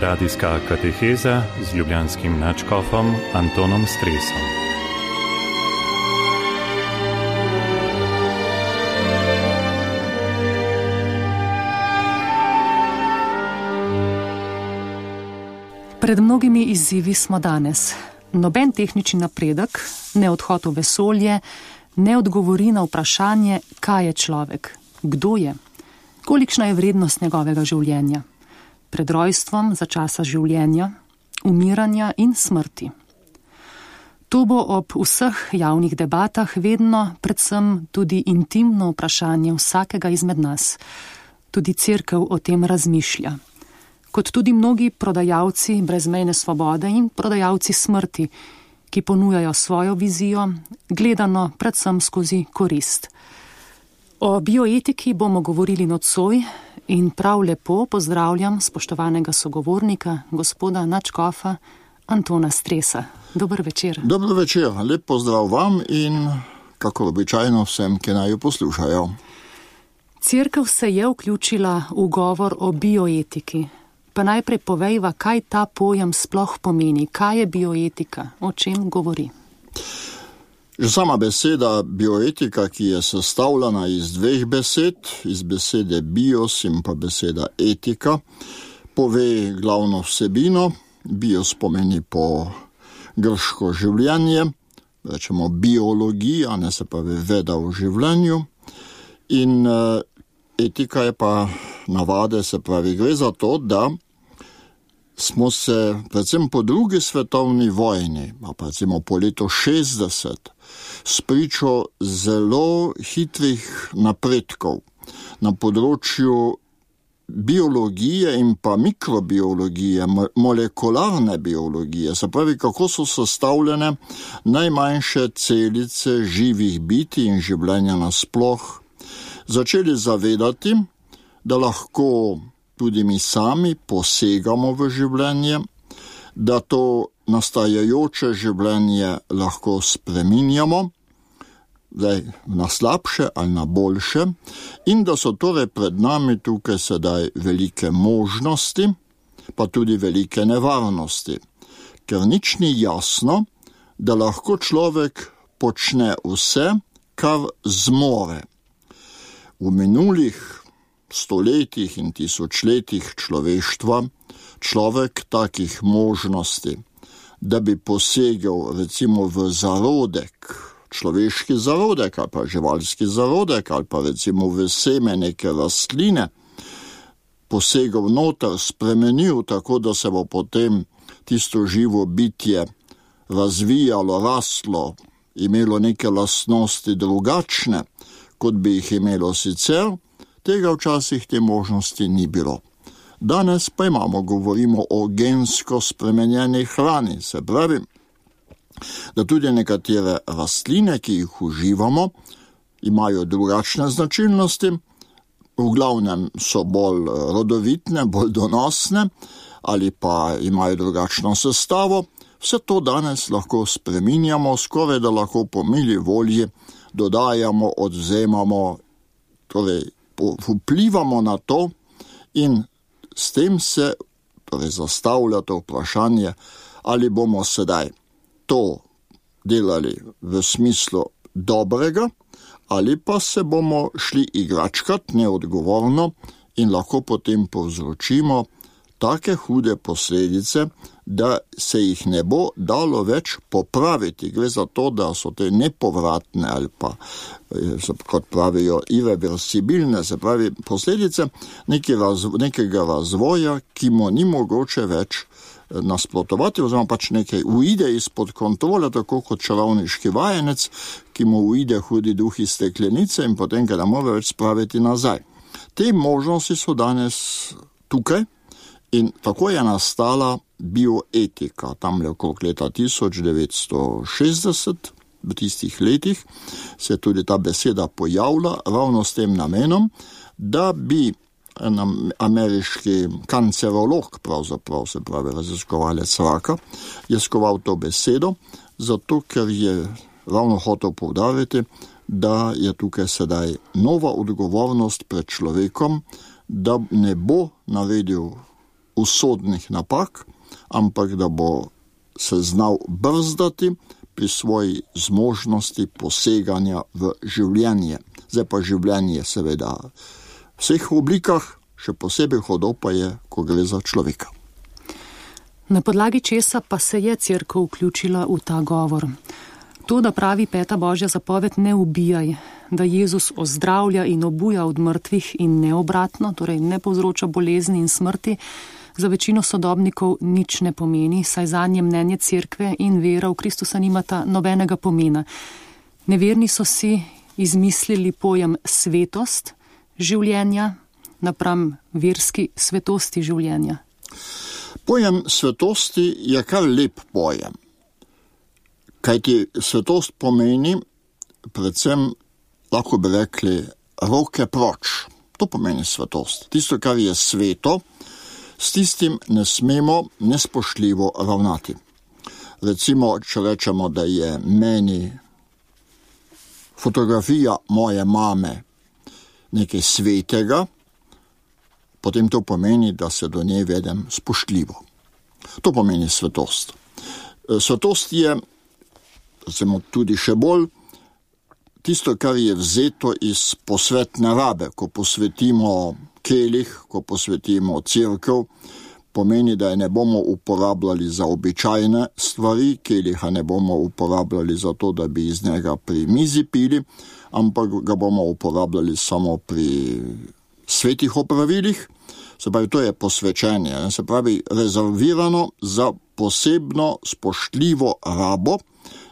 Radijska kateheza z ljubljanskim nadškofom Antonom Stresom. Pred mnogimi izzivi smo danes. Noben tehnični napredek, ne odhod v vesolje, ne odgovori na vprašanje, kaj je človek, kdo je, kolikšna je vrednost njegovega življenja, pred rojstvom, za časa življenja, umiranja in smrti. To bo ob vseh javnih debatah vedno predvsem tudi intimno vprašanje vsakega izmed nas. Tudi cerkev o tem razmišlja. Kot tudi mnogi prodajalci brezmejne svobode in prodajalci smrti, ki ponujajo svojo vizijo, gledano predvsem skozi korist. O bioetiki bomo govorili nocoj in prav lepo pozdravljam spoštovanega sogovornika, gospoda nadškofa Antona Stresa. Dober večer. Dober večer, lep pozdrav vam in kako običajno vsem, ki naj jo poslušajo. Cerkev se je vključila v govor o bioetiki. Pa najprej povejva, kaj ta pojem sploh pomeni, kaj je bioetika, o čem govori. Že sama beseda bioetika, ki je sestavljena iz dveh besed, iz besede bios in pa beseda etika, pove glavno vsebino. Bios pomeni po grško življenje, rečemo biologija, ne se pa veda v življenju. In etika je pa navade, se pravi, gre za to, da smo se predvsem po drugi svetovni vojni, pa recimo po letu 60, spričo zelo hitrih napredkov na področju biologije in pa mikrobiologije, molekularne biologije, se pravi, kako so sestavljene najmanjše celice živih bitij in življenja nasploh, začeli zavedati, da lahko tudi mi sami posegamo v življenje, da to nastajajoče življenje lahko spreminjamo, na slabše ali na boljše, in da so torej pred nami tukaj sedaj velike možnosti, pa tudi velike nevarnosti, ker nič ni jasno, da lahko človek počne vse, kar zmore. V minulih stoletjih in tisočletjih človeštva človek takih možnosti, da bi posegel recimo v zarodek, človeški zarodek ali pa živalski zarodek ali pa recimo v seme neke rastline, posegel noter, spremenil tako, da se bo potem tisto živo bitje razvijalo, rastlo, imelo neke lastnosti drugačne, kot bi jih imelo sicer, tega včasih te možnosti ni bilo. Danes pa govorimo o gensko spremenjeni hrani, se pravi, da tudi nekatere rastline, ki jih uživamo, imajo drugačne značilnosti, v glavnem so bolj rodovitne, bolj donosne ali pa imajo drugačno sestavo. Vse to danes lahko spreminjamo, skoraj da lahko po mili volji dodajamo, odvzemamo, torej vplivamo na to in s tem se zastavlja to vprašanje, ali bomo sedaj to delali v smislu dobrega, ali pa se bomo šli igračkat neodgovorno in lahko potem povzročimo take hude posledice, da se jih ne bo dalo več popraviti. Gre za to, da so te nepovratne ali pa, kot pravijo, irreversibilne, se pravi, posledice nekega razvoja, ki mu ni mogoče več nasprotovati, oziroma pač nekaj uide izpod kontrole, tako kot čarovniški vajenec, ki mu uide hudi duh iz steklenice in potem ga ne more več spraviti nazaj. Te možnosti so danes tukaj in tako je nastala bioetika. Tamle okrog leta 1960, v tistih letih, se je tudi ta beseda pojavila ravno s tem namenom, da bi ameriški kancerolog, pravzaprav se pravi raziskovalec raka, je skoval to besedo, zato ker je ravno hotel poudariti, da je tukaj sedaj nova odgovornost pred človekom, da ne bo naredil usodnih napak, ampak da bo se znal brzdati pri svoji zmožnosti poseganja v življenje. Zdaj pa življenje seveda v vseh oblikah, še posebej hudo pa je, ko gre za človeka. Na podlagi česa pa se je Cerkev vključila v ta govor? To, da pravi 5. Božja zapoved ne ubijaj, da Jezus ozdravlja in obuja od mrtvih in ne obratno, torej ne povzroča bolezni in smrti, za večino sodobnikov nič ne pomeni, saj zanje mnenje Cerkve in vera v Kristusa nimata nobenega pomena. Neverni so si izmislili pojem svetost življenja napram verski svetosti življenja. Pojem svetosti je kar lep pojem. Kajti svetost pomeni, predvsem lahko bi rekli, roke proč. To pomeni svetost. Tisto, kar je sveto, s tistim ne smemo nespoštljivo ravnati. Recimo, če rečemo, da je meni fotografija moje mame nekaj svetega, potem to pomeni, da se do nje vedem spoštljivo. To pomeni svetost. Svetost je, recimo tudi še bolj, tisto, kar je vzeto iz posvetne rabe, ko posvetimo kelih, ko posvetimo cerkev, pomeni, da je ne bomo uporabljali za običajne stvari, keliha ne bomo uporabljali za to, da bi iz njega pri mizi pili, ampak ga bomo uporabljali samo pri svetih opravilih. Se pravi, to je posvečenje, se pravi, rezervirano za posebno spoštljivo rabo.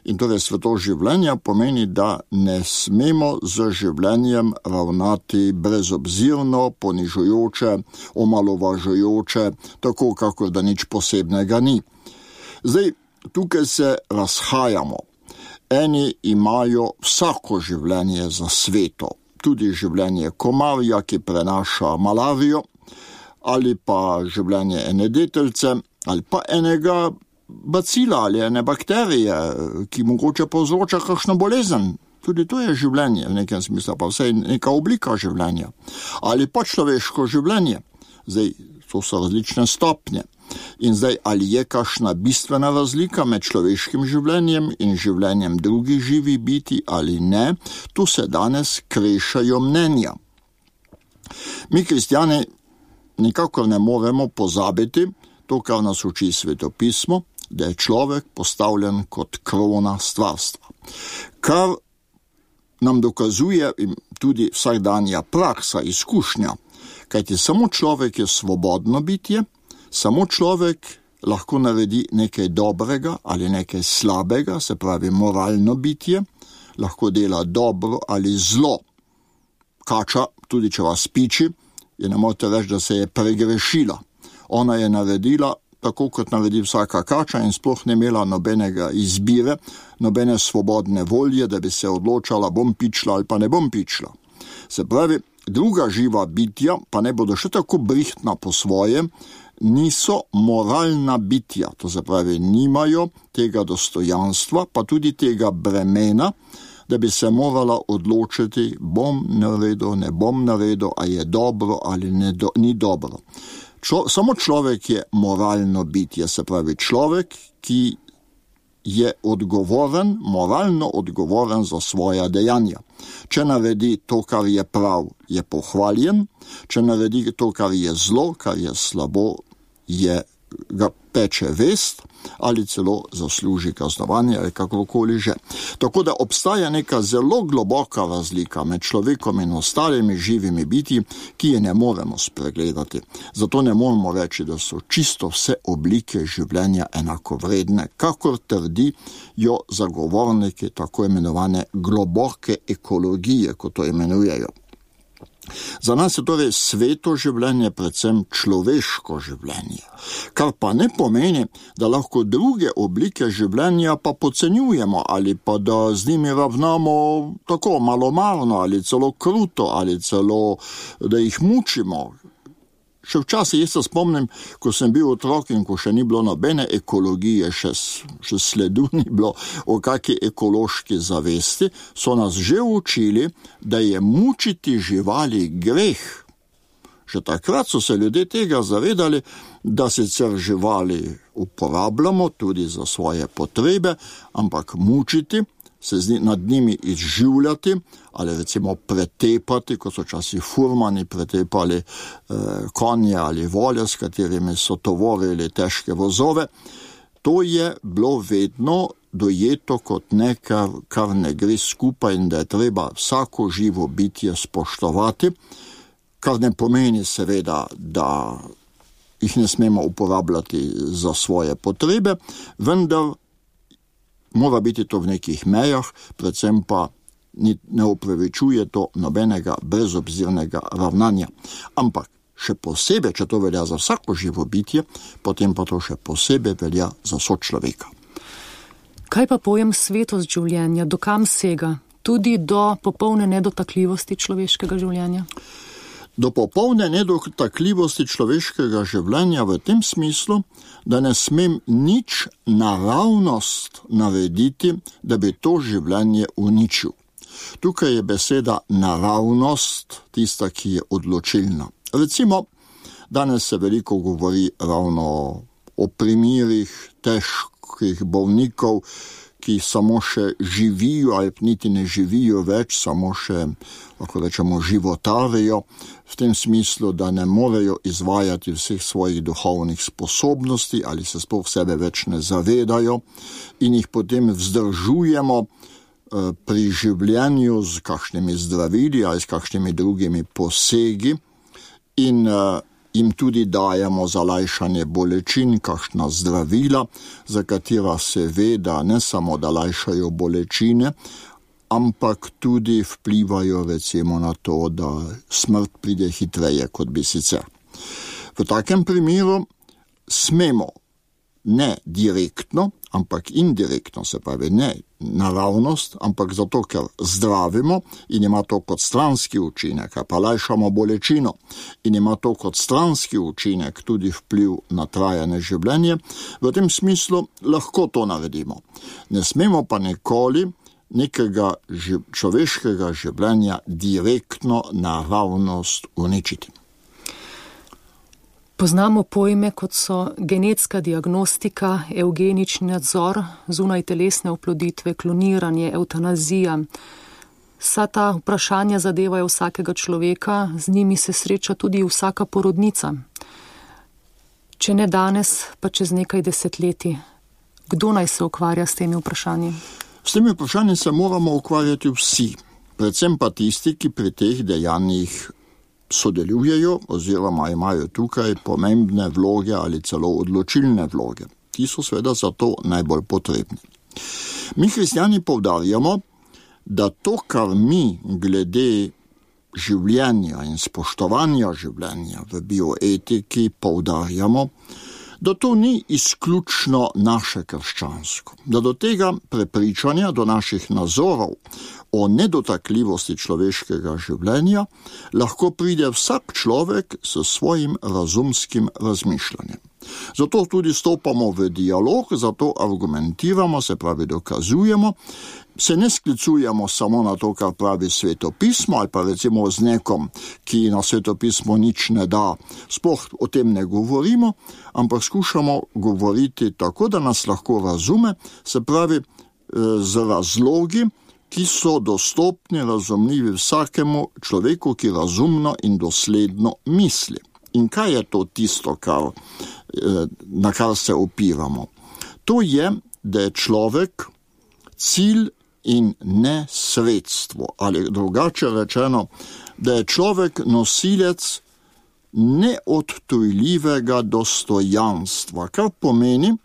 In torej sveto življenja pomeni, da ne smemo z življenjem ravnati brezobzirno, ponižujoče, omalovažujoče, tako kakor da nič posebnega ni. Zdaj, tukaj se razhajamo. Eni imajo vsako življenje za sveto, tudi življenje komarja, ki prenaša malarijo, ali pa življenje ene deteljice, ali pa enega bacila ali ene bakterije, ki mogoče povzroča kakšno bolezen. Tudi to je življenje v nekem smislu, pa vsaj neka oblika življenja. Ali pa človeško življenje. Zdaj, to so različne stopnje. In zdaj, ali je kakšna bistvena razlika med človeškim življenjem in življenjem drugih živih bitij ali ne, tu se danes krešajo mnenja. Mi, kristjani, nikakor ne moremo pozabiti to, kar nas uči Svetopismo, da je človek postavljen kot krona stvarstva. Kar nam dokazuje tudi vsakdanja praksa, izkušnja, kajti samo človek je svobodno bitje, samo človek lahko naredi nekaj dobrega ali nekaj slabega, se pravi moralno bitje, lahko dela dobro ali zlo. Kača, tudi če vas piči, je ne morete reči, da se je pregrešila. Ona je naredila tako, kot naredi vsaka kača in sploh ne imela nobenega izbire, nobene svobodne volje, da bi se odločala, bom pičila ali pa ne bom pičila. Se pravi, druga živa bitja, pa ne bodo še tako brihtna po svoje, niso moralna bitja, to se pravi, nimajo tega dostojanstva, pa tudi tega bremena, da bi se morala odločiti, bom naredil, ne bom naredil, a je dobro ali ni dobro. Samo človek je moralno bitje, se pravi človek, ki je odgovoren, moralno odgovoren za svoja dejanja. Če naredi to, kar je prav, je pohvaljen, če naredi to, kar je zlo, kar je slabo, ga peče vest ali celo zasluži kaznovanje ali kakorkoli že. Tako da obstaja neka zelo globoka razlika med človekom in ostalimi živimi bitji, ki je ne moremo spregledati. Zato ne moremo reči, da so čisto vse oblike življenja enakovredne, kakor trdijo zagovorniki tako imenovane globoke ekologije, kot to imenujejo. Za nas je torej sveto življenje predvsem človeško življenje, kar pa ne pomeni, da lahko druge oblike življenja pa podcenjujemo ali pa da z njimi ravnamo tako malomarno ali celo kruto ali celo da jih mučimo. Še včasih jaz se spomnim, ko sem bil otrok in ko še ni bilo nobene ekologije, še sledu ni bilo o kakšni ekološki zavesti, so nas že učili, da je mučiti živali greh. Že takrat so se ljudje tega zavedali, da sicer živali uporabljamo tudi za svoje potrebe, ampak mučiti, se nad njimi izživljati ali recimo pretepati, kot so časih furmani pretepali konje ali volje, s katerimi so tovorili težke vozove, to je bilo vedno dojeto kot nekaj, kar ne gre skupaj in da je treba vsako živo bitje spoštovati, kar ne pomeni seveda, da jih ne smemo uporabljati za svoje potrebe, vendar mora biti to v nekih mejah, predvsem pa ne upravičuje to nobenega brezobzirnega ravnanja. Ampak še posebej, če to velja za vsako živo bitje, potem pa to še posebej velja za sočloveka. Kaj pa pojem svetost življenja, do kam sega? Tudi do popolne nedotakljivosti človeškega življenja? Do popolne nedotakljivosti človeškega življenja v tem smislu, da ne smem nič naravnost narediti, da bi to življenje uničil. Tukaj je beseda naravnost tista, ki je odločilna. Recimo, danes se veliko govori ravno o primerih težkih bolnikov, ki samo še živijo ali niti ne živijo več, samo še, lahko rečemo, životarijo, v tem smislu, da ne morejo izvajati vseh svojih duhovnih sposobnosti ali se sploh sebe več ne zavedajo in jih potem vzdržujemo pri življenju z kakšnimi zdravili ali s kakšnimi drugimi posegi in jim tudi dajemo za lajšanje bolečin, kakšna zdravila, za katera se ve, da ne samo da lajšajo bolečine, ampak tudi vplivajo recimo na to, da smrt pride hitreje, kot bi sicer. V takem primeru smemo ne direktno, ampak indirektno, se pravi ne naravnost, ampak zato, ker zdravimo in ima to kot stranski učinek, pa lajšamo bolečino in ima to kot stranski učinek tudi vpliv na trajanje življenje, v tem smislu lahko to naredimo. Ne smemo pa nikoli nekega človeškega življenja direktno naravnost uničiti. Poznamo pojme, kot so genetska diagnostika, evgenični nadzor, zunaj telesne oploditve, kloniranje, evtanazija. Vsa ta vprašanja zadevajo vsakega človeka, z njimi se sreča tudi vsaka porodnica. Če ne danes, pa čez nekaj desetletij. Kdo naj se ukvarja s temi vprašanji? S temi vprašanji se moramo ukvarjati vsi, predvsem pa tisti, ki pri teh dejanjih sodelujejo oziroma imajo tukaj pomembne vloge ali celo odločilne vloge. Ti so seveda zato najbolj potrebni. Mi kristjani poudarjamo, da to, kar mi glede življenja in spoštovanja življenja v bioetiki poudarjamo, da to ni izključno naše krščansko, da do tega prepričanja, do naših nazorov o nedotakljivosti človeškega življenja lahko pride vsak človek s svojim razumskim razmišljanjem. Zato tudi stopamo v dialog, zato argumentiramo, se pravi dokazujemo, se ne sklicujemo samo na to, kar pravi svetopismo, ali pa recimo z nekom, ki na svetopismo nič ne da. Sploh o tem ne govorimo, ampak skušamo govoriti tako, da nas lahko razume, se pravi z razlogi, ki so dostopni, razumljivi vsakemu človeku, ki razumno in dosledno misli. In kaj je to tisto, na kar se opiramo? To je, da je človek cilj in ne sredstvo, ali drugače rečeno, da je človek nosilec neodtujljivega dostojanstva, kar pomeni,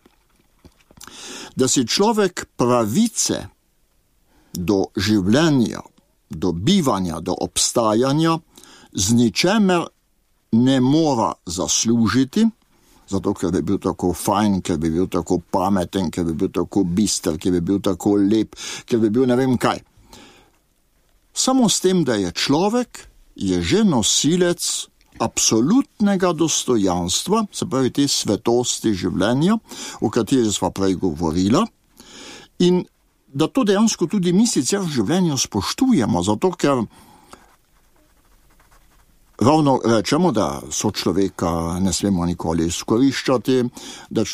da si človek pravice do življenja, do bivanja, do obstajanja z ničemer ne mora zaslužiti, zato ker bi bil tako fajn, ker bi bil tako pameten, ker bi bil tako bister, ker bi bil tako lep, ker bi bil ne vem kaj. Samo s tem, da je človek, je že nosilec absolutnega dostojanstva, se pravi te svetosti življenja, o kateri sva prej govorila, in da to dejansko tudi mi sicer v življenju spoštujemo, zato ker Ravno rečemo, da sočloveka ne smemo nikoli izkoriščati, da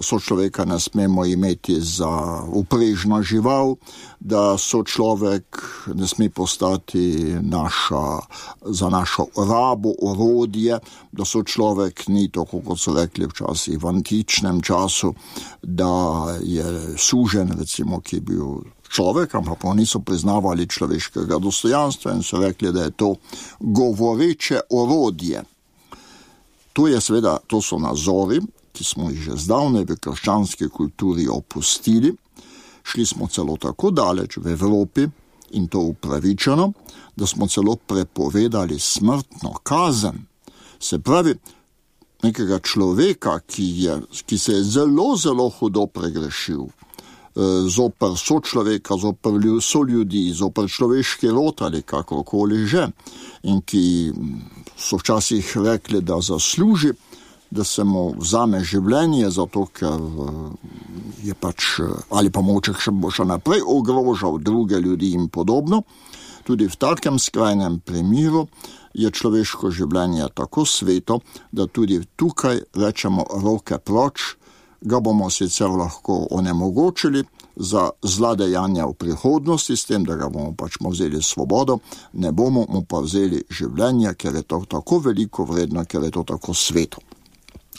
sočloveka ne smemo imeti za uprežna žival, da sočlovek ne sme postati za našo rabo, orodje, da sočlovek ni tako, kot so rekli včasih v antičnem času, da je sužen, recimo, ki je bil človek, ampak pa niso priznavali človeškega dostojanstva in so rekli, da je to govoreče orodje. To so nazori, ki smo jih že zdavnaj v krščanski kulturi opustili. Šli smo celo tako daleč v Evropi, in to upravičeno, da smo celo prepovedali smrtno kazen. Se pravi, nekega človeka, ki se je zelo, zelo hudo pregrešil, zoper sočloveka, zoper soljudi, zoper človeški rod ali kakorkoli že, in ki so včasih rekli, da zasluži, da se mu vzame življenje, zato ker je ali pa moče bo še naprej ogrožal druge ljudi in podobno. Tudi v takem skrajnem primeru je človeško življenje tako sveto, da tudi tukaj rečemo roke proč, ga bomo sicer lahko onemogočili za zla dejanja v prihodnosti, s tem, da ga bomo vzeli svobodo, ne bomo mu pa vzeli življenje, ker je to tako veliko vredno, ker je to tako sveto.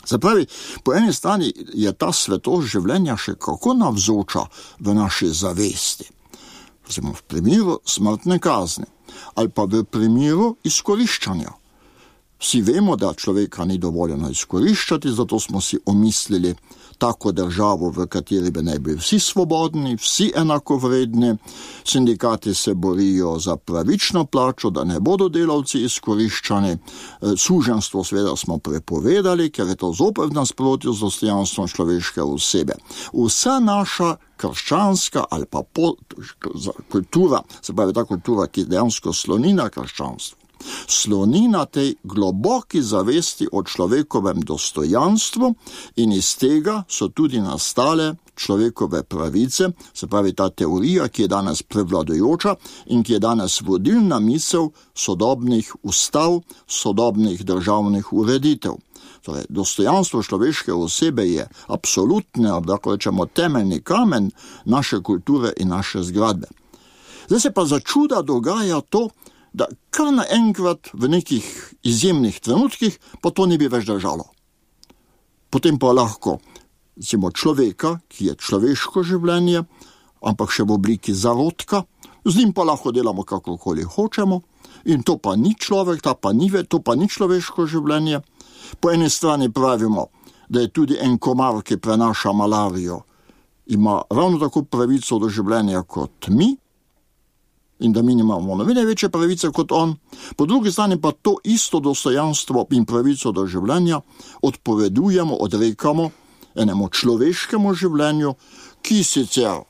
Se pravi, po eni strani je ta svetost življenja še kako navzoča v naši zavesti. Recimo v primeru smrtne kazni ali pa v primeru izkoriščanja. Vsi vemo, da človeka ni dovoljeno izkoriščati, zato smo si omislili tako državo, v kateri bi naj bili vsi svobodni, vsi enakovredni. Sindikati se borijo za pravično plačo, da ne bodo delavci izkoriščani. Suženstvo seveda smo prepovedali, ker je to zopet v nasprotju z dostojanstvom človeške osebe. Vsa naša krščanska ali pa kultura, se pravi ta kultura, ki dejansko sloni na krščanstvu, sloni na tej globoki zavesti o človekovem dostojanstvu in iz tega so tudi nastale človekove pravice, se pravi ta teorija, ki je danes prevladujoča in ki je danes vodilna misel sodobnih ustav, sodobnih državnih ureditev. Torej, dostojanstvo človeške osebe je absolutno, lahko rečemo, temeljni kamen naše kulture in naše zgradbe. Zdaj se pa za čuda dogaja to, da kar naenkrat v nekih izjemnih trenutkih pa to ne bi več držalo. Potem pa lahko, recimo, človeka, ki je človeško življenje, ampak še v obliki zarodka, z njim pa lahko delamo kakorkoli hočemo in to pa ni človek, to pa ni človeško življenje. Po eni strani pravimo, da je tudi en komar, ki prenaša malarijo, ima ravno tako pravico do življenja kot mi, in da mi imamo nobene večje pravice kot on, po drugi strani pa to isto dostojanstvo in pravico do življenja odpovedujemo, odrekamo enemu človeškemu življenju, ki sicer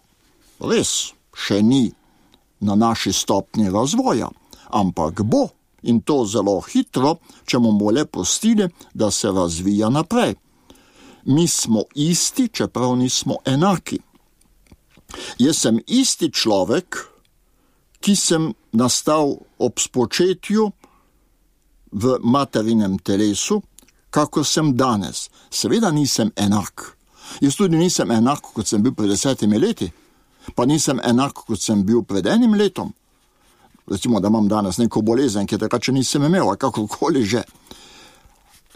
res še ni na naši stopnji razvoja, ampak bo, in to zelo hitro, če bomo le pustili, da se razvija naprej. Mi smo isti, čeprav nismo enaki. Jaz sem isti človek, ki sem nastal ob spočetju v materinem telesu, kako sem danes. Seveda nisem enak. Jaz tudi nisem enak, kot sem bil pred 10 leti, pa nisem enak, kot sem bil pred 1 letom. Recimo, da imam danes neko bolezen, ki takrat še nisem imel, a kakorkoli že.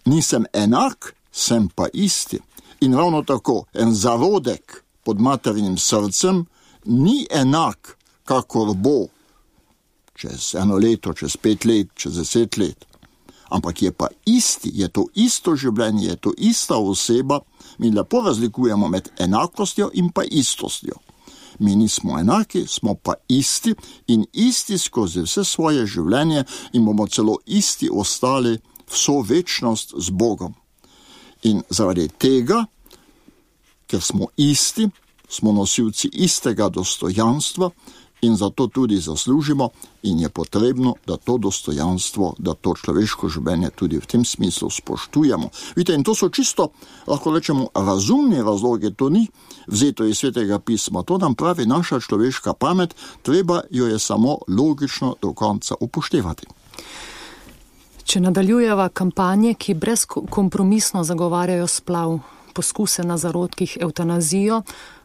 Nisem enak, sem pa isti. In ravno tako, en zarodek pod materinim srcem ni enak, kakor bo čez 1 leto, čez 5 let, čez 10 let. Ampak je pa isti, je to isto življenje, je to ista oseba. Mi lepo razlikujemo med enakostjo in pa istostjo. Mi nismo enaki, smo pa isti in isti skozi vse svoje življenje in bomo celo isti ostali vso večnost z Bogom. In zaradi tega, ker smo isti, smo nosilci istega dostojanstva in zato tudi zaslužimo in je potrebno, da to dostojanstvo, da to človeško življenje tudi v tem smislu spoštujemo. Vidite, in to so čisto, lahko rečemo, razumni razlogi, to ni vzeto iz Svetega pisma, to nam pravi naša človeška pamet, treba jo je samo logično do konca upoštevati. Če nadaljujeva kampanje, ki brezkompromisno zagovarjajo splav, poskuse na zarodkih, evtanazijo,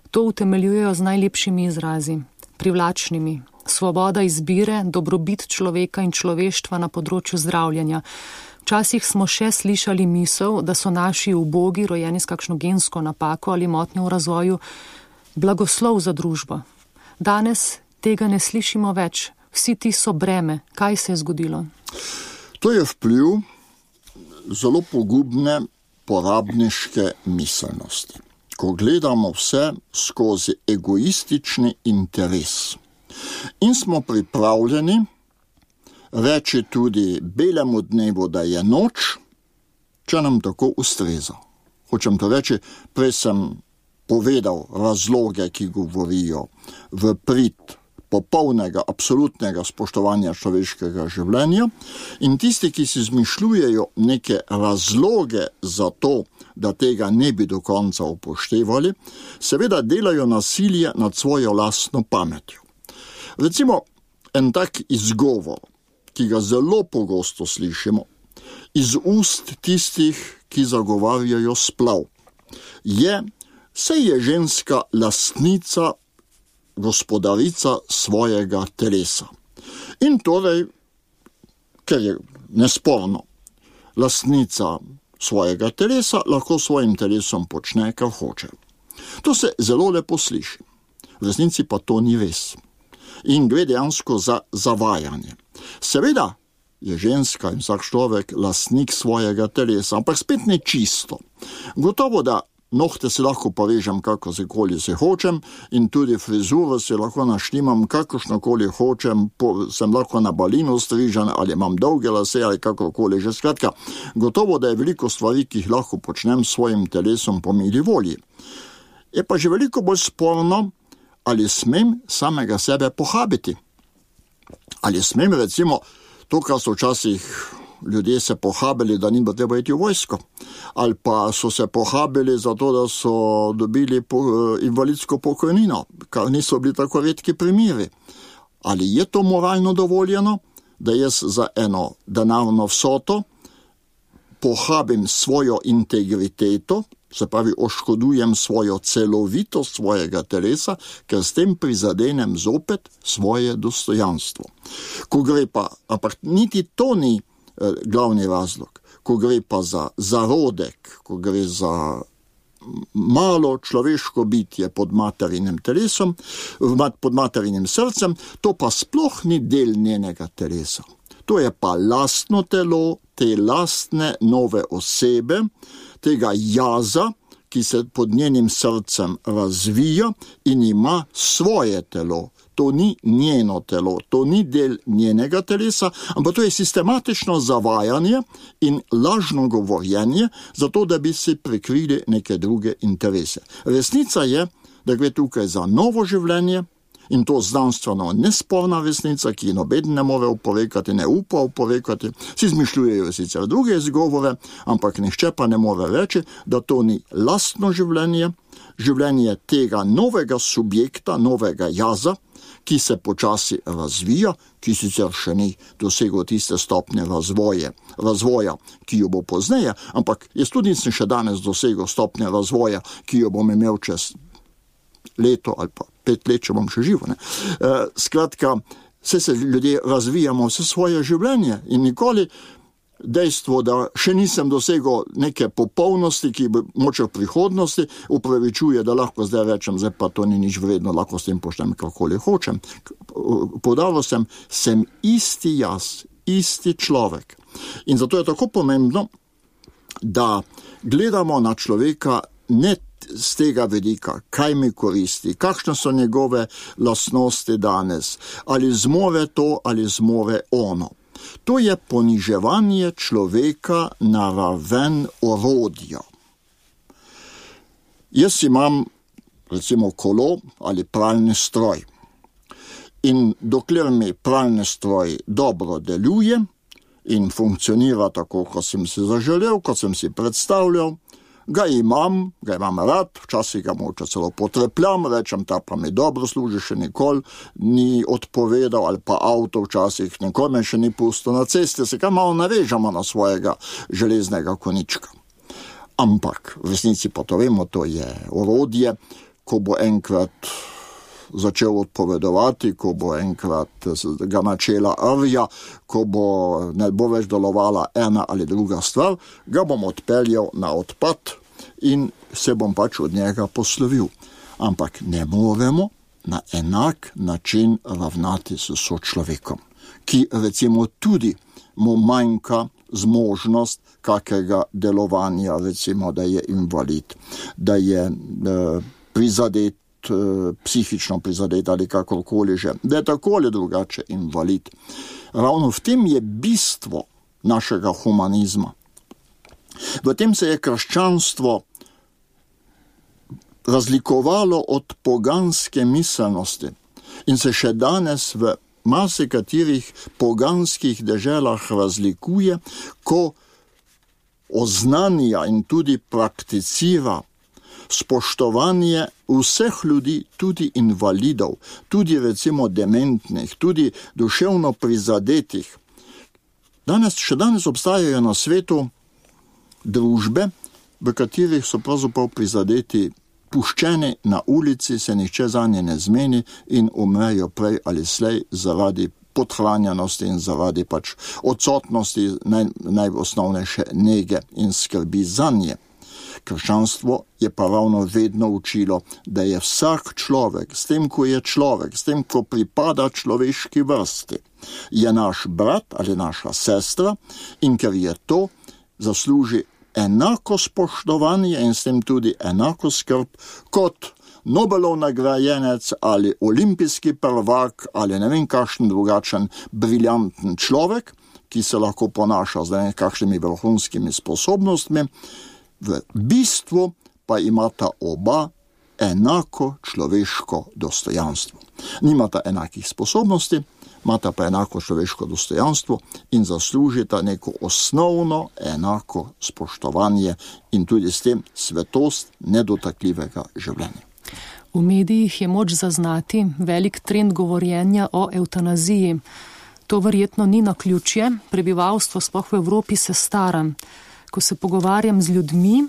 to utemeljujejo z najlepšimi izrazi, privlačnimi. Svoboda izbire, dobrobit človeka in človeštva na področju zdravljenja. Včasih smo še slišali misel, da so naši ubogi, rojeni s kakšno gensko napako ali motnjo v razvoju, blagoslov za družbo. Danes tega ne slišimo več. Vsi ti so breme. Kaj se je zgodilo? To je vpliv zelo pogubne porabniške miselnosti. Ko gledamo vse skozi egoistični interes in smo pripravljeni reči tudi belemu dnevu, da je noč, če nam tako ustreza. Hočem to reči, prej sem povedal razloge, ki govorijo v prid popolnega, absolutnega spoštovanja človeškega življenja in tisti, ki si izmišljujejo neke razloge za to, da tega ne bi do konca upoštevali, seveda delajo nasilje nad svojo lastno pametjo. Recimo, en tak izgovor, ki ga zelo pogosto slišimo, iz ust tistih, ki zagovarjajo splav, saj je ženska lastnica, gospodarica svojega telesa. In torej, ker je nesporno lastnica svojega telesa, lahko svojim telesom počne, kar hoče. To se zelo lepo sliši. V resnici pa to ni res. In gre dejansko za zavajanje. Seveda je ženska in vsak človek lastnik svojega telesa, ampak spet ne čisto. Gotovo, da nohte si lahko povežem, kako se hočem, in tudi frizuro si lahko naštimam, kakršnokoli hočem, sem lahko na balinu strižen, ali imam dolge lase, ali kakorkoli že. Skratka, gotovo, da je veliko stvari, ki jih lahko počnem s svojim telesom po mili volji. Je pa že veliko bolj sporno, ali smem samega sebe pohabiti. Ali smem, recimo, to, kar so včasih ljudje se pohabili, da ni bilo treba iti v vojsko, ali pa so se pohabili zato, da so dobili invalidsko pokojnino, kar niso bili tako redki primeri. Ali je to moralno dovoljeno, da jaz za eno denarno vsoto pohabim svojo integriteto, se pravi oškodujem svojo celovitost svojega telesa, ker s tem prizadenem zopet svoje dostojanstvo. Ko gre pa, ampak niti to ni glavni razlog, ko gre pa za zarodek, ko gre za malo človeško bitje pod materinim telesom, pod materinim srcem, to pa sploh ni del njenega telesa. To je pa lastno telo, te lastne nove osebe, tega jaza, ki se pod njenim srcem razvija in ima svoje telo. To ni njeno telo, to ni del njenega telesa, ampak to je sistematično zavajanje in lažno govorjenje, zato da bi si prikrili neke druge interese. Resnica je, da gre tukaj za novo življenje, in to znanstveno nesporna resnica, ki noben ne more oporekati, ne upa oporekati, si izmišljujejo sicer druge izgovore, ampak nihče pa ne more reči, da to ni lastno življenje, življenje tega novega subjekta, novega jaza, ki se počasi razvija, ki sicer še ni dosegel tiste stopnje razvoja, ki jo bo pozneje, ampak jaz tudi nisem še danes dosegel stopnje razvoja, ki jo bom imel čez leto ali pa 5 let, če bom še živo. Skratka, se ljudje razvijamo vse svoje življenje in nikoli dejstvo, da še nisem dosegel neke popolnosti, ki bo moče v prihodnosti, upravičuje, da lahko zdaj rečem, zdaj pa to ni nič vredno, lahko s tem počnem kakoli hočem. Poudaril sem isti jaz, isti človek. In zato je tako pomembno, da gledamo na človeka ne z tega vidika, kaj mi koristi, kakšne so njegove lastnosti danes, ali zmore to, ali zmore ono. To je poniževanje človeka na raven orodja. Jaz imam, recimo, kolo ali pralni stroj. In dokler mi pralni stroj dobro deluje in funkcionira tako, kot sem si zaželel, kot sem si predstavljal, ga imam rad, včasih ga moče celo potrepljam, rečem, ta pa mi dobro služi, še nikoli ni odpovedal, ali pa avto včasih nikoli me še ni pustil na cesti, se kaj malo navežemo na svojega železnega konička. Ampak v resnici pa to vemo, to je orodje, ko bo enkrat začel odpovedovati, ko bo enkrat ga načela rvja, ko ne bo več delovala ena ali druga stvar, ga bom odpeljal na odpad in se bom pač od njega poslovil. Ampak ne moremo na enak način ravnati s sočlovekom, ki recimo tudi mu manjka zmožnost kakega delovanja, recimo, da je invalid, da je prizadet, psihično prizadet ali kakorkoli že, da je tako ali drugače invalid. Ravno v tem je bistvo našega humanizma. V tem se je krščanstvo razlikovalo od poganske miselnosti in se še danes v marsikaterih poganskih deželah razlikuje, ko oznanja in tudi prakticira spoštovanje vseh ljudi, tudi invalidov, tudi recimo dementnih, tudi duševno prizadetih. Še danes obstajajo na svetu družbe, v katerih so pravzaprav prizadeti puščeni na ulici, se nihče zanje ne zmeni in umrejo prej ali slej zaradi podhranjenosti in zaradi pač odsotnosti najosnovnejše nege in skrbi zanje. Krščanstvo je pa ravno vedno učilo, da je vsak človek, s tem, ko je človek, s tem, ko pripada človeški vrsti, je naš brat ali naša sestra in ker je to, zasluži enako spoštovanje in s tem tudi enako skrb kot Nobelov nagrajenec ali olimpijski prvak ali ne vem kakšen drugačen briljanten človek, ki se lahko ponaša z kakšnimi vrhunskimi sposobnostmi. V bistvu pa imata oba enako človeško dostojanstvo. Nimata enakih sposobnosti, imata pa enako človeško dostojanstvo in zaslužita neko osnovno enako spoštovanje in tudi s tem svetost nedotakljivega življenja. V medijih je moč zaznati velik trend govorjenja o evtanaziji. To verjetno ni naključje, prebivalstvo sploh v Evropi se stara. Ko se pogovarjam z ljudmi,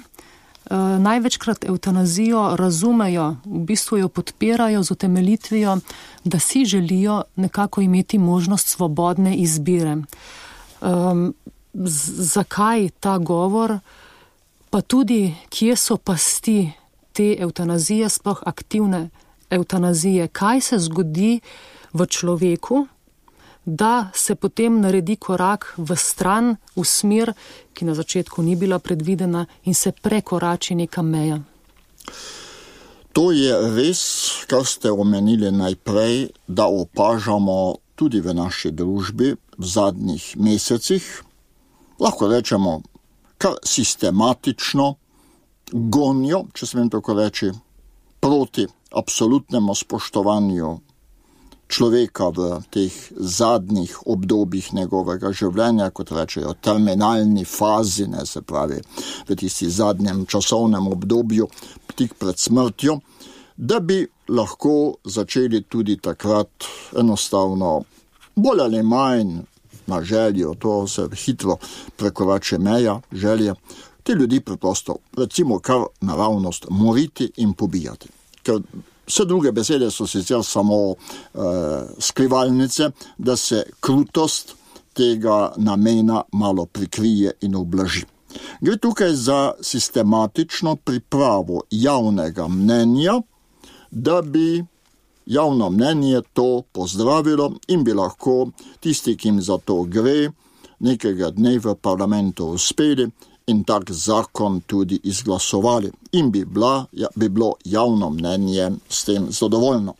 največkrat evtanazijo razumejo, v bistvu jo podpirajo z utemeljitvijo, da si želijo nekako imeti možnost svobodne izbire. Zakaj ta govor, pa tudi kje so pasti te evtanazije, sploh aktivne evtanazije? Kaj se zgodi v človeku, da se potem naredi korak v stran, v smer, ki na začetku ni bila predvidena in se prekorači neka meja? To je res, kar ste omenili najprej, da opažamo tudi v naši družbi v zadnjih mesecih, lahko rečemo kar sistematično gonjo, če smem tako reči, proti absolutnemu spoštovanju človeka v teh zadnjih obdobjih njegovega življenja, kot rečejo, terminalni fazi, se pravi, v tisti zadnjem časovnem obdobju, tik pred smrtjo, da bi lahko začeli tudi takrat enostavno, bolj ali manj na željo, to se hitro prekorači meja, želje, te ljudi preprosto, recimo kar naravnost, moriti in pobijati. Ker vse druge besede so sicer samo skrivalnice, da se krutost tega namena malo prikrije in ublaži. Gre tukaj za sistematično pripravo javnega mnenja, da bi javno mnenje to pozdravilo in bi lahko tisti, ki jim za to gre, nekega dne v parlamentu uspeli in tak zakon tudi izglasovali in bi bilo javno mnenje s tem zadovoljno.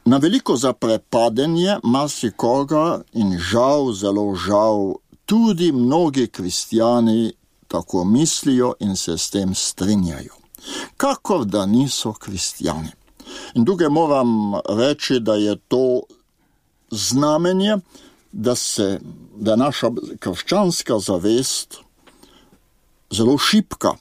Na veliko zaprepadenje marsikoga in žal, zelo žal, tudi mnogi kristjani tako mislijo in se s tem strinjajo. Kakor da niso kristjani. In tukaj moram reči, da je to znamenje, da naša krščanska zavest zelo šibka,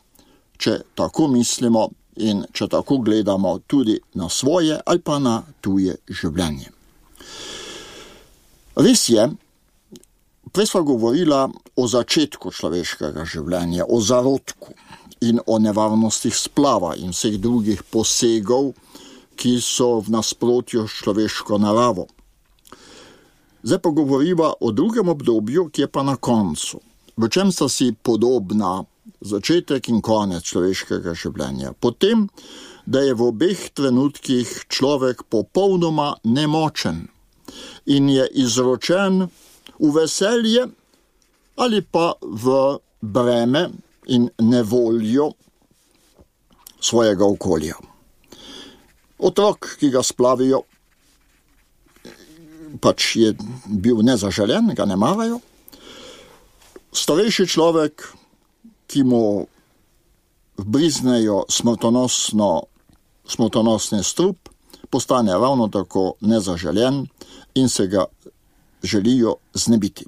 če tako mislimo in če tako gledamo tudi na svoje ali pa na tuje življenje. Res je, prej sva govorila o začetku človeškega življenja, o zarodku in o nevarnostih splava in vseh drugih posegov, ki so v nasprotju s človeško naravo. Zdaj pa govoriva o drugem obdobju, ki je pa na koncu. V čem sta si podobna začetek in konec človeškega življenja? Potem, da je v obeh trenutkih človek popolnoma nemočen in je izročen v veselje ali pa v breme in nevoljo svojega okolja. Otrok, ki ga splavijo, pač je bil nezaželen, ga ne marajo. Starejši človek, ki mu vbriznejo smrtonosni strup, postane ravno tako nezaželen in se ga želijo znebiti.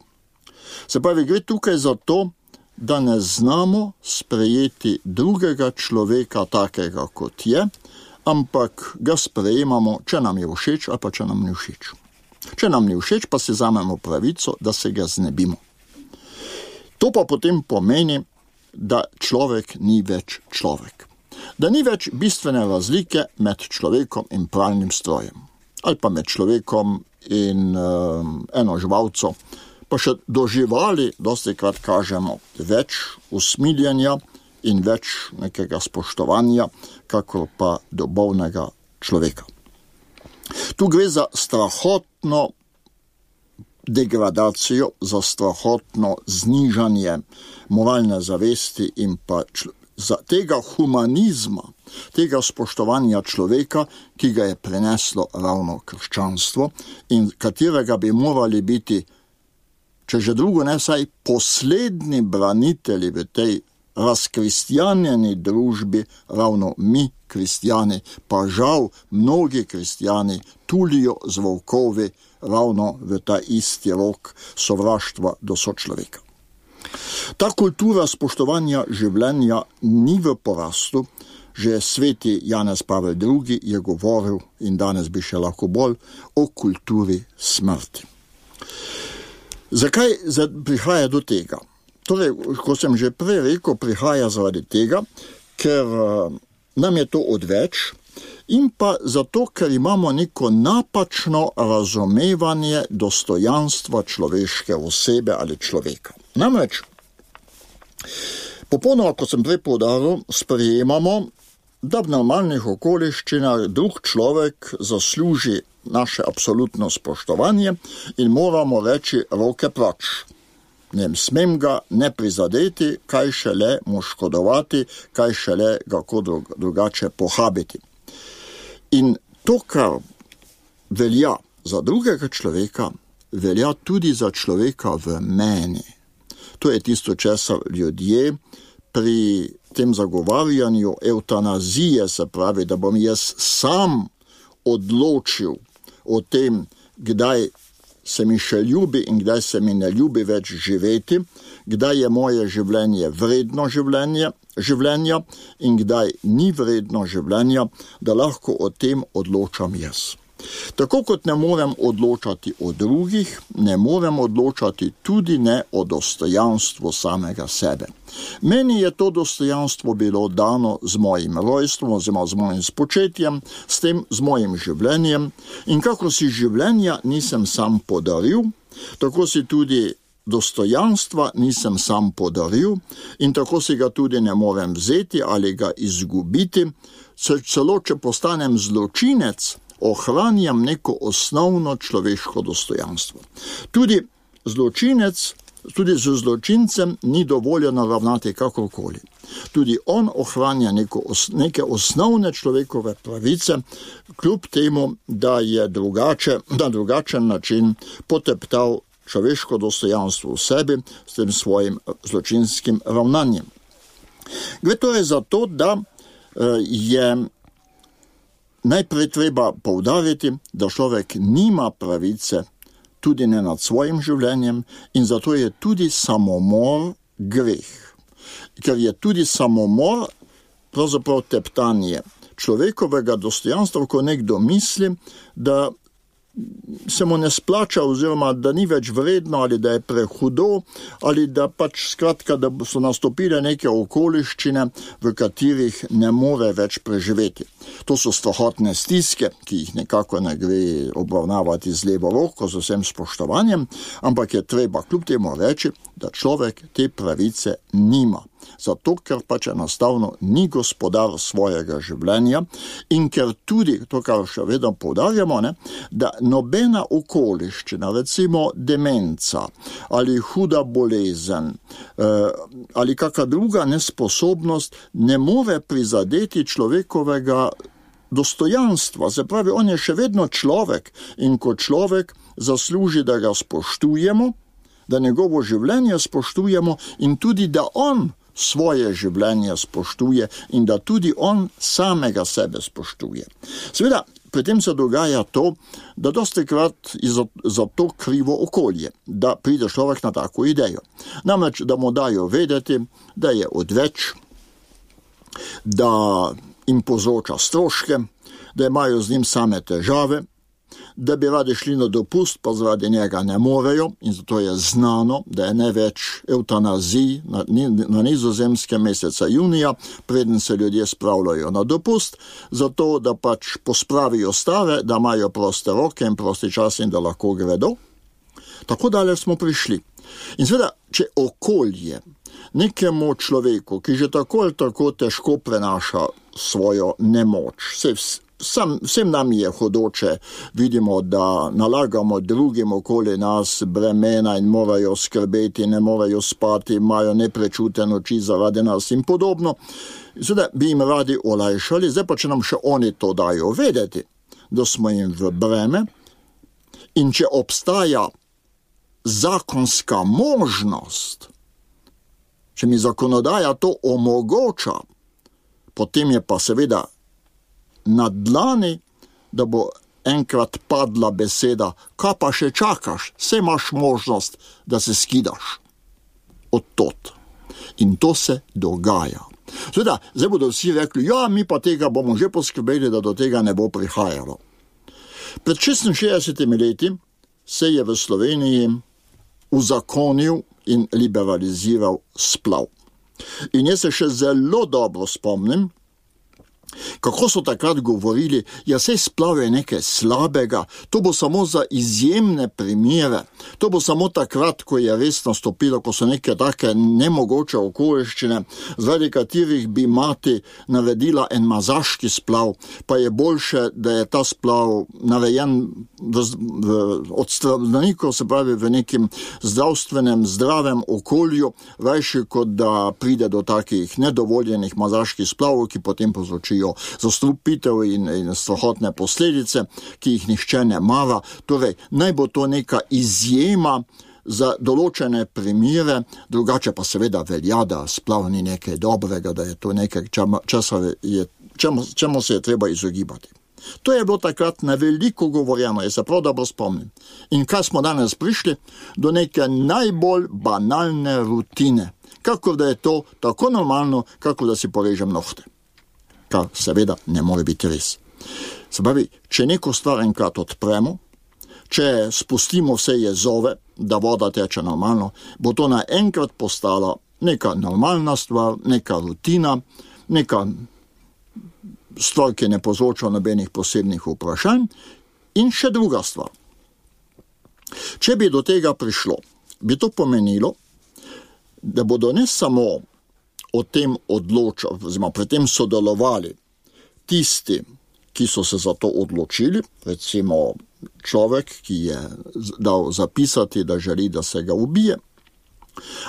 Se pravi, gre tukaj za to, da ne znamo sprejeti drugega človeka takega, kot je, ampak ga sprejemamo, če nam je všeč ali pa če nam ni všeč. Če nam ni všeč, pa si vzamemo pravico, da se ga znebimo. To pa potem pomeni, da človek ni več človek. Da ni več bistvene razlike med človekom in pralnim strojem. Ali pa med človekom in eno živalco. Pa še do živali dostikrat kažemo več usmiljenja in več nekega spoštovanja, kakor pa do bolnega človeka. Tu gre za strahotno degradacijo, za strahotno znižanje moralne zavesti in pa za tega humanizma, tega spoštovanja človeka, ki ga je preneslo ravno krščanstvo in katerega bi morali biti, če že drugo ne, vsaj poslednji branitelji v tej razkristjanjeni družbi, ravno mi, kristjani, pa žal mnogi kristjani tulijo z volkovi ravno v ta isti rok sovraštva do sočloveka. Ta kultura spoštovanja življenja ni v porastu. Že sveti Janez Pavel II. Je govoril, in danes bi še lahko bolj, o kulturi smrti. Zakaj prihaja do tega? Torej, ko sem že prej rekel, prihaja zaradi tega, ker nam je to odveč in pa zato, ker imamo neko napačno razumevanje dostojanstva človeške osebe ali človeka. Namreč, popolnoma, kot sem prej poudaril, sprejemamo, da v normalnih okoliščinah drug človek zasluži naše absolutno spoštovanje in moramo reči roke proč. Ne smem ga ne prizadeti, kaj šele mu škodovati, kaj šele ga kako drugače pohabiti. In to, kar velja za drugega človeka, velja tudi za človeka v meni. To je tisto, česar ljudje pri tem zagovarjanju evtanazije, se pravi, da bom jaz sam odločil o tem, kdaj se mi še ljubi in kdaj se mi ne ljubi več živeti, kdaj je moje življenje vredno življenja in kdaj ni vredno življenja, da lahko o tem odločam jaz. Tako kot ne morem odločati o drugih, ne morem odločati tudi ne o dostojanstvu samega sebe. Meni je to dostojanstvo bilo dano z mojim rojstvom, oziroma z mojim spočetjem, s tem z mojim življenjem in kako si življenja nisem sam podaril, tako si tudi dostojanstva nisem sam podaril in tako si ga tudi ne morem vzeti ali ga izgubiti, celo če postanem zločinec, ohranjam neko osnovno človeško dostojanstvo. Tudi z zločincem ni dovoljeno ravnati kakorkoli. Tudi on ohranja neke osnovne človekove pravice, kljub temu, da je na drugačen način poteptal človeško dostojanstvo v sebi s tem svojim zločinskim ravnanjem. Gre torej za to, da je najprej treba poudariti, da človek nima pravice tudi ne nad svojim življenjem in zato je tudi samomor greh. ker je tudi samomor pravzaprav teptanje človekovega dostojanstva, ko nekdo misli, da se mu ne splača oziroma da ni več vredno ali da je prehudo ali da pač skratka, da so nastopile neke okoliščine, v katerih ne more več preživeti. To so strahotne stiske, ki jih nekako ne gre obravnavati z levo roko, z vsem spoštovanjem, ampak je treba kljub temu reči, da človek te pravice nima. Zato, ker pač enostavno ni gospodar svojega življenja in ker tudi, to kar še vedno poudarjamo, da nobena okoliščina, recimo demenca ali huda bolezen ali kakšna druga nesposobnost ne more prizadeti človekovega dostojanstva. Se pravi, on je še vedno človek in kot človek zasluži, da ga spoštujemo, da njegovo življenje spoštujemo in tudi, da on svoje življenje spoštuje in da tudi on samega sebe spoštuje. Seveda, pri tem se dogaja to, da dostikrat za to krivo okolje, da pride človek na tako idejo. Namreč, da mu dajo vedeti, da je odveč, da jim povzroča stroške, da imajo z njim same težave, da bi radi šli na dopust, pa zaradi njega ne morejo in zato je znano, da je največ eutanazij na Nizozemskem meseca junija, preden se ljudje spravljajo na dopust, zato da pač pospravijo stare, da imajo proste roke in prosti čas in da lahko gredo. Tako daleč smo prišli. In seveda, če okolje nekemu človeku, ki že tako ali tako težko prenaša svojo nemoč, vsem nam je hodoče, vidimo, da nalagamo drugim okoli nas bremena in morajo skrbeti, ne morajo spati, imajo neprečuten oči zaradi nas in podobno. Zdaj bi jim radi olajšali, zdaj pa če nam še oni to dajo vedeti, da smo jim v breme in če obstaja zakonska možnost, če mi zakonodaja to omogoča, potem je pa seveda na dlani, da bo enkrat padla beseda, kaj pa še čakaš, saj imaš možnost, da se skidaš od tot. In to se dogaja. Seveda, zdaj bodo vsi rekli, ja, mi pa tega bomo že poskrbeli, da do tega ne bo prihajalo. Pred 66 leti se je v Sloveniji uzakonil in liberaliziral splav. In jaz se še zelo dobro spomnim, kako so takrat govorili, ja, saj splav je nekaj slabega, to bo samo za izjemne primere, to bo samo takrat, ko je res nastopilo, ko so neke take nemogoče okoliščine, zaradi katerih bi mati naredila en mazaški splav, pa je boljše, da je ta splav narejen od zdravnikov, se pravi v nekem zdravstvenem, zdravem okolju, rajši kot da pride do takih nedovoljenih mazaških splavov, ki potem povzročijo zastrupitev in strahotne posledice, ki jih nihče ne mara. Torej, naj bo to neka izjema za določene primere, drugače pa seveda velja, da splav ni nekaj dobrega, da je to nekaj, čemu se je treba izogibati. To je bilo takrat na veliko govorjeno, jaz se prav dobro spomnim. In kaj smo danes prišli? Do neke najbolj banalne rutine, kakor da je to tako normalno, kakor da si porežem nohte. Kar seveda ne more biti res. Se pravi, če neko stvar enkrat odpremo, če spustimo vse jezove, da voda teče normalno, bo to naenkrat postala neka normalna stvar, neka rutina, neka stvar, ki ne povzroča nobenih posebnih vprašanj. In še druga stvar. Če bi do tega prišlo, bi to pomenilo, da bodo ne samo o tem odločali, oziroma pri tem sodelovali tisti, ki so se za to odločili, recimo človek, ki je dal zapisati, da želi, da se ga ubije,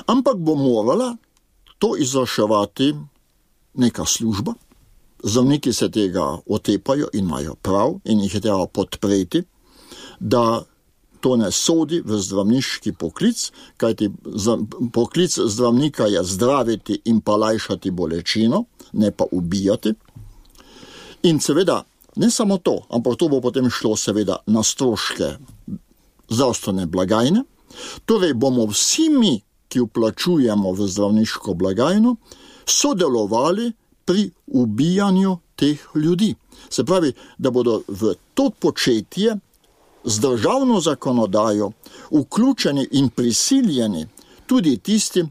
ampak bo morala to izvrševati neka služba. Zdravniki se tega otepajo in imajo prav in jih je treba podpreti, da to ne sodi v zdravniški poklic, kajti poklic zdravnika je zdraviti in pa lajšati bolečino, ne pa ubijati. In seveda, ne samo to, ampak to bo potem šlo seveda na stroške zdravstvene blagajne. Torej bomo vsi mi, ki vplačujemo v zdravniško blagajno, sodelovali pri ubijanju teh ljudi. Se pravi, da bodo v to početje z državno zakonodajo vključeni in prisiljeni tudi tisti,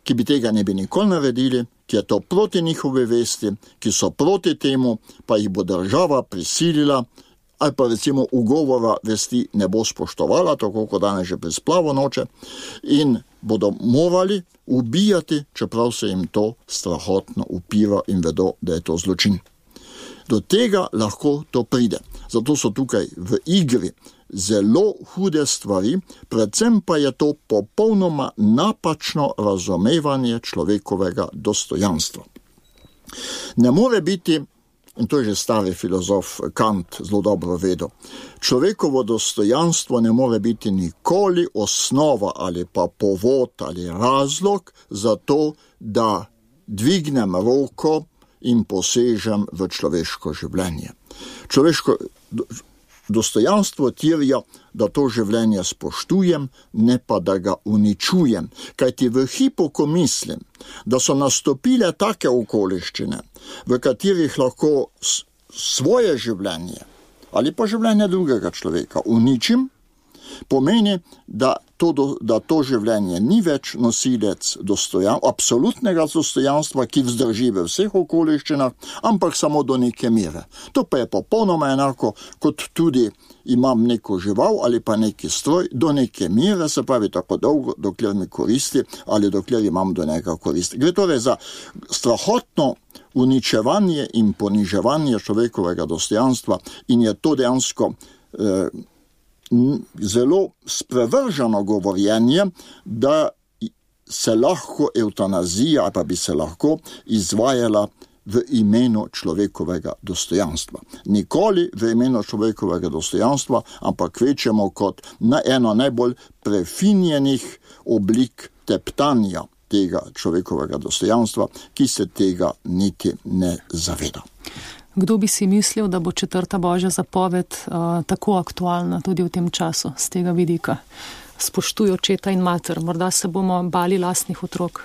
ki bi tega ne bi nikoli naredili, ki je to proti njihove vesti, ki so proti temu, pa jih bo država prisilila, ali pa recimo ugovora vesti ne bo spoštovala, tako kot danes že pri splavu noče, in bodo morali ubijati, čeprav se jim to strahotno upira in vedo, da je to zločin. Do tega lahko to pride. Zato so tukaj v igri zelo hude stvari, predvsem pa je to popolnoma napačno razumevanje človekovega dostojanstva. Ne more biti, in to je že stari filozof Kant zelo dobro vedel, človekovo dostojanstvo ne more biti nikoli osnova ali pa povod ali razlog za to, da dvignem roko in posežem v človeško življenje. Človeško dostojanstvo terja, da to življenje spoštujem, ne pa da ga uničujem. Kajti v hipu, ko mislim, da so nastopile take okoliščine, v katerih lahko svoje življenje ali pa življenje drugega človeka uničim, pomeni, da to življenje ni več nosilec absolutnega dostojanstva, ki vzdrži v vseh okoliščinah, ampak samo do neke mere. To pa je popolnoma enako, kot tudi imam neko žival ali pa neki stroj do neke mere, se pravi tako dolgo, dokler mi koristi ali dokler imam do njega koristi. Gre torej za strahotno uničevanje in poniževanje človekovega dostojanstva in je to dejansko zelo sprevrženo govorjenje, da se lahko eutanazija ali pa bi se lahko izvajala v imenu človekovega dostojanstva. Nikoli v imenu človekovega dostojanstva, ampak kvečemo kot na eno najbolj prefinjenih oblik teptanja tega človekovega dostojanstva, ki se tega niti ne zaveda. Kdo bi si mislil, da bo 4. Božja zapoved tako aktualna tudi v tem času, z tega vidika? Spoštuj očeta in mater, morda se bomo bali lastnih otrok.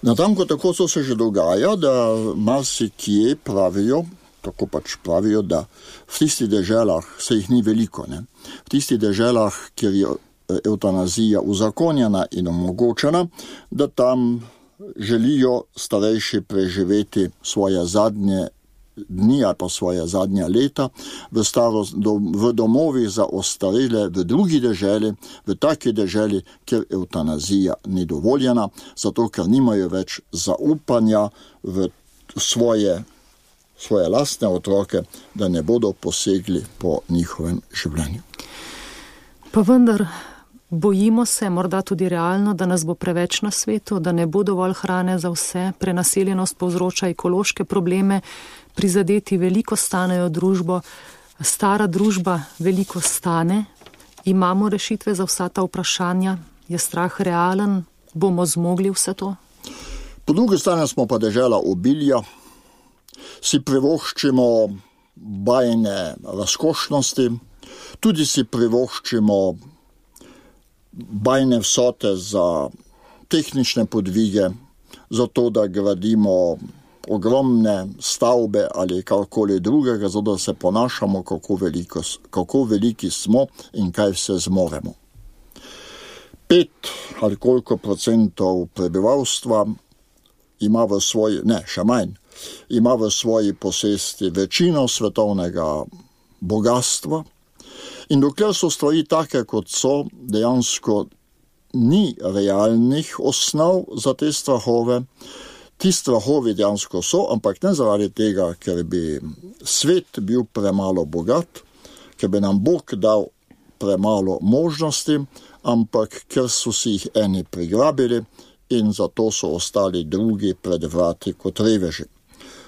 Natanko tako so se že dogaja, da marsikje pravijo, tako pač pravijo, da v tistih deželah, se jih ni veliko, ne? V tistih deželah, kjer je eutanazija uzakonjena in omogočena, da tam želijo starejši preživeti svoje zadnje dni ali pa svoje zadnja leta v domovih za ostarele v drugi deželi, v taki deželi, kjer eutanazija ni dovoljena, zato ker nimajo več zaupanja v svoje lastne otroke, da ne bodo posegli po njihovem življenju. Pa vendar, bojimo se, morda tudi realno, da nas bo preveč na svetu, da ne bo dovolj hrane za vse, prenaseljenost povzroča ekološke probleme, prizadeti veliko stanejo družbo, stara družba veliko stane, imamo rešitve za vsa ta vprašanja, je strah realen, bomo zmogli vse to? Po drugi strani smo pa dežela obilja, si privoščimo bajne razkošnosti, tudi si privoščimo bajne vsote za tehnične podvige, za to, da gradimo ogromne stavbe ali karkoli drugega, zato da se ponašamo, kako veliki smo in kaj vse zmoremo. 5 ali koliko procentov prebivalstva ima v svoji, še manj, ima v svoji posesti večino svetovnega bogatstva in dokler so stvari take, kot so, dejansko ni realnih osnov za te strahove. Ti strahovi dejansko so, ampak ne zaradi tega, ker bi svet bil premalo bogat, ker bi nam Bog dal premalo možnosti, ampak ker so si jih eni prigrabili in zato so ostali drugi pred vrati kot reveži.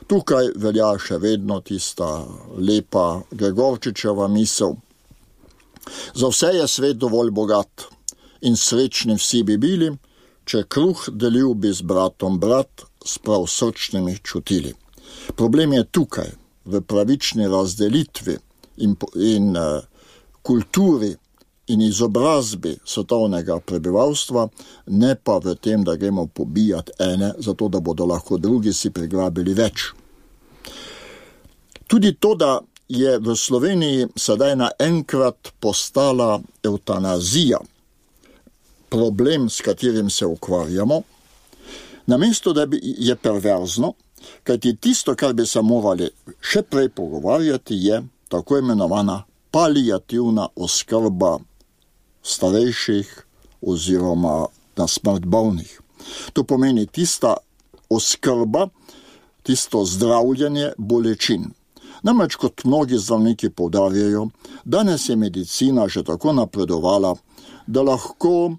Tukaj velja še vedno tista lepa Gregorčičeva misel. Za vse je svet dovolj bogat in srečni vsi bi bili, če kruh delil bi z bratom brat, s prav srčnimi čutili. Problem je tukaj, v pravični razdelitvi in kulturi in izobrazbi svetovnega prebivalstva, ne pa v tem, da gremo pobijati ene, zato da bodo lahko drugi si prigrabili več. Tudi to, da je v Sloveniji sedaj naenkrat postala evtanazija, problem, s katerim se ukvarjamo, namesto da je perverzno, kajti tisto, kar bi se morali še prej pogovarjati, je tako imenovana paliativna oskrba starejših oziroma na smrt bolnih. To pomeni tista oskrba, tisto zdravljenje bolečin. Namreč, kot mnogi zdravniki poudarjajo, danes je medicina že tako napredovala, da lahko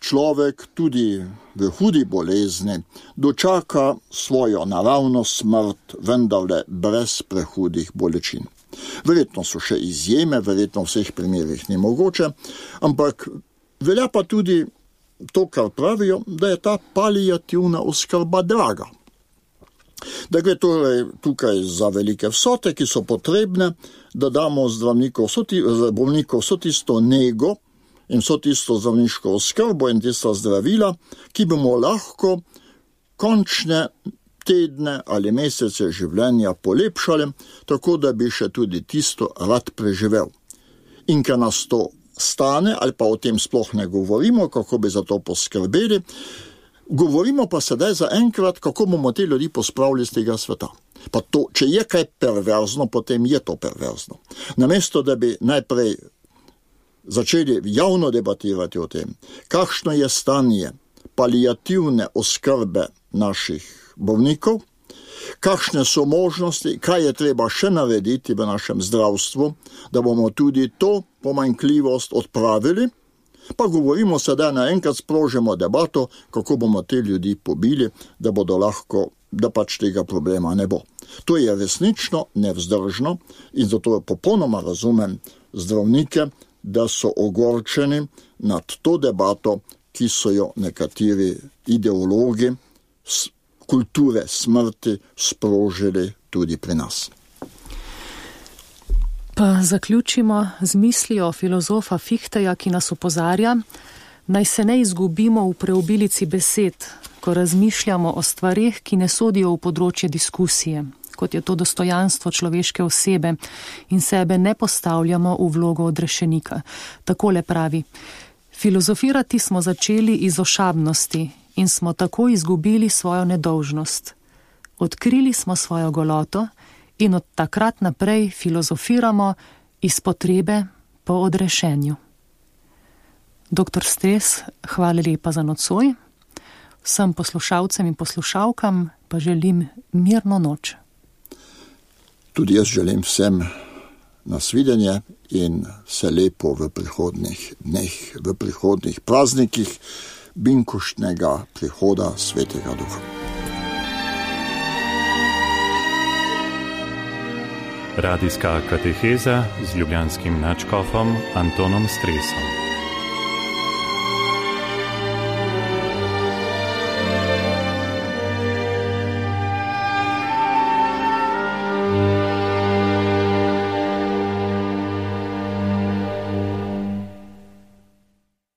človek tudi v hudi bolezni dočaka svojo naravno smrt, vendarle brez prehudih bolečin. Verjetno so še izjeme, verjetno v vseh primerih ni mogoče, ampak velja pa tudi to, kar pravijo, da je ta paliativna oskrba draga. Da gre torej tukaj za velike vsote, ki so potrebne, da damo bolnikov vso tisto nego in vso tisto zdravniško oskrbo in tista zdravila, ki bomo lahko končne tedne ali mesece življenja polepšali, tako da bi še tudi tisto rad preživel. In ker nas to stane, ali pa o tem sploh ne govorimo, kako bi za to poskrbeli, govorimo pa sedaj za enkrat, kako bomo te ljudi pospravili z tega sveta. Pa to, če je kaj perverzno, potem je to perverzno. Namesto, da bi najprej začeli javno debatirati o tem, kakšno je stanje paliativne oskrbe naših bolnikov, kakšne so možnosti, kaj je treba še narediti v našem zdravstvu, da bomo tudi to pomanjkljivost odpravili, pa govorimo sedaj naenkrat sprožimo debato, kako bomo te ljudi pobili, da bodo lahko, da pač tega problema ne bo. To je resnično nevzdržno in zato popolnoma razumem zdravnike, da so ogorčeni nad to debato, ki so jo nekateri ideologi kulture smrti sprožili tudi pri nas. Pa zaključimo z mislijo filozofa Fichteja, ki nas opozarja, naj se ne izgubimo v preobilici besed, ko razmišljamo o stvareh, ki ne sodijo v področje diskusije, kot je to dostojanstvo človeške osebe in sebe ne postavljamo v vlogo odrešenika. Takole pravi: filozofirati smo začeli iz ošabnosti in smo tako izgubili svojo nedolžnost. Odkrili smo svojo goloto in od takrat naprej filozofiramo iz potrebe po odrešenju. Dr. Stres, hvala lepa za nocoj. Vsem poslušalcem in poslušalkam pa želim mirno noč. Tudi jaz želim vsem nasvidenje in se lepo v prihodnih dneh, v prihodnih praznikih binkoštnega prihoda Svetega Duha. Radijska kateheza z ljubljanskim nadškofom Antonom Stresom.